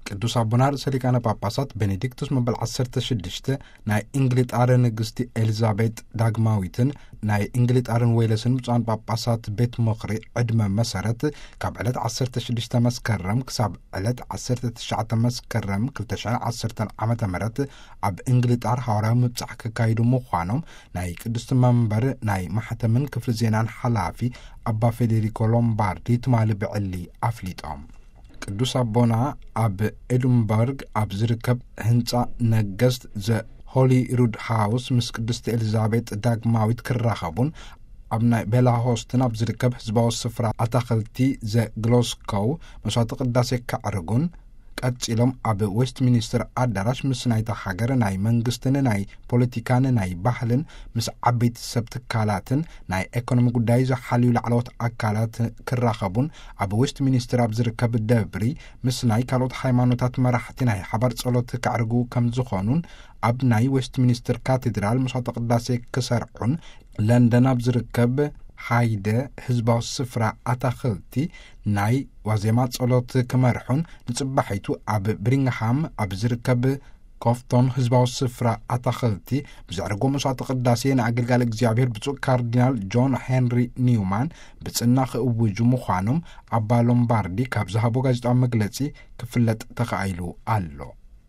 ቅዱስ ኣቦና ርእሰ ሊቃነ ጳጳሳት ቤኔዲክቱስ መበል ዓሰርተ ሽዱሽተ ናይ እንግሊጣረ ንግስቲ ኤሊዛቤጥ ዳግማዊትን ናይ እንግሊጣርን ዌለስን ብፁዓን ጳጳሳት ቤት ምኽሪ ዕድመ መሰረት ካብ ዕለት ዓሰርተ ሽዱሽተ መስከረም ክሳብ ዕለት ዓሰርተ ትሽዓተ መስከረም ክልተ ሽሕን ዓሰርተን ዓመተ ምህረት ኣብ እንግሊጣር ሃዋርያዊ ምብጻሕ ክካይዱ ምዃኖም ናይ ቅድስቲ መንበር ናይ ማሕተምን ክፍሊ ዜናን ሓላፊ ኣባ ፌዴሪኮ ሎምባርዲ ትማሊ ብዕሊ ኣፍሊጦም። ቅዱስ ኣቦና ኣብ ኤድንበርግ ኣብ ዝርከብ ህንጻ ነገስት ዘ ሆሊ ሩድ ሃውስ ምስ ቅድስቲ ኤሊዛቤጥ ዳግማዊት ክራኸቡን ኣብ ናይ ቤላሆስትን ኣብ ዝርከብ ህዝባዊ ስፍራ ኣታኽልቲ ዘ ግሎስኮው መስዋዕተ ቅዳሴ ከዕርጉን ቀጺሎም ኣብ ዌስት ሚኒስትር ኣዳራሽ ምስ ናይታ ሃገር ናይ መንግስትን ናይ ፖለቲካን ናይ ባህልን ምስ ዓበይቲ ሰብ ትካላትን ናይ ኤኮኖሚ ጉዳይ ዝሓልዩ ላዕለዎት ኣካላት ክራኸቡን ኣብ ዌስት ሚኒስትር ኣብ ዝርከብ ደብሪ ምስ ናይ ካልኦት ሃይማኖታት መራሕቲ ናይ ሓባር ጸሎት ከዕርጉ ከም ዝኾኑን ኣብ ናይ ዌስት ሚኒስትር ካቴድራል መስዋዕተ ቅዳሴ ክሰርዑን ለንደን ኣብ ዝርከብ ሃይደ ህዝባዊ ስፍራ ኣታኽልቲ ናይ ዋዜማ ጸሎት ክመርሑን ንጽባሒቱ ኣብ ብሪንግሃም ኣብ ዝርከብ ኮፍቶን ህዝባዊ ስፍራ ኣታኽልቲ ብዘዕርጎ መስዋዕተ ቅዳሴ ንኣገልጋሊ እግዚኣብሔር ብፁዕ ካርዲናል ጆን ሄንሪ ኒውማን ብጽና ክእውጁ ምዃኖም ኣባ ሎምባርዲ ካብ ዝሃቦ ጋዜጣዊ መግለጺ ክፍለጥ ተኻኢሉ ኣሎ።